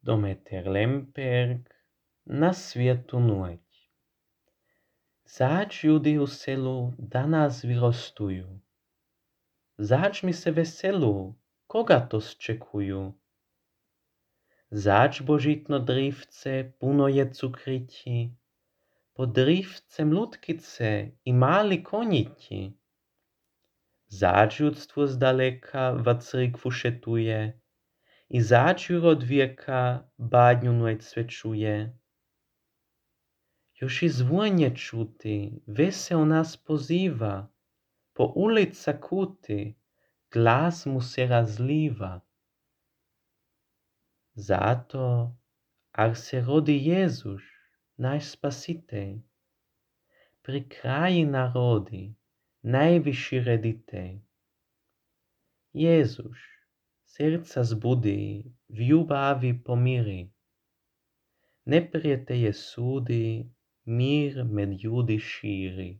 Dometer Lemberg na svijetu nuť. Zač ljudi u selu danas vyrostujú. Zač mi se veselu, koga to zčekujú. Zač božitno drivce puno je cukriti, po drivcem lutkice i mali koniti. Zač judstwo zdaleka wa cyrkwu šetuje, i zač juro od wieka badniu nueć svečuje. Już i zwłonie czuty, weseo nas poziwa, po ulica kuty, glas mu se razliwa. Zato, ar se rodi Jezus, naš spasitej, pri kraji narodi, najvyšší reditej. Jezus, serca zbudi, v ljubavi pomiri, neprijetelje sudi, mir med ljudi šíri.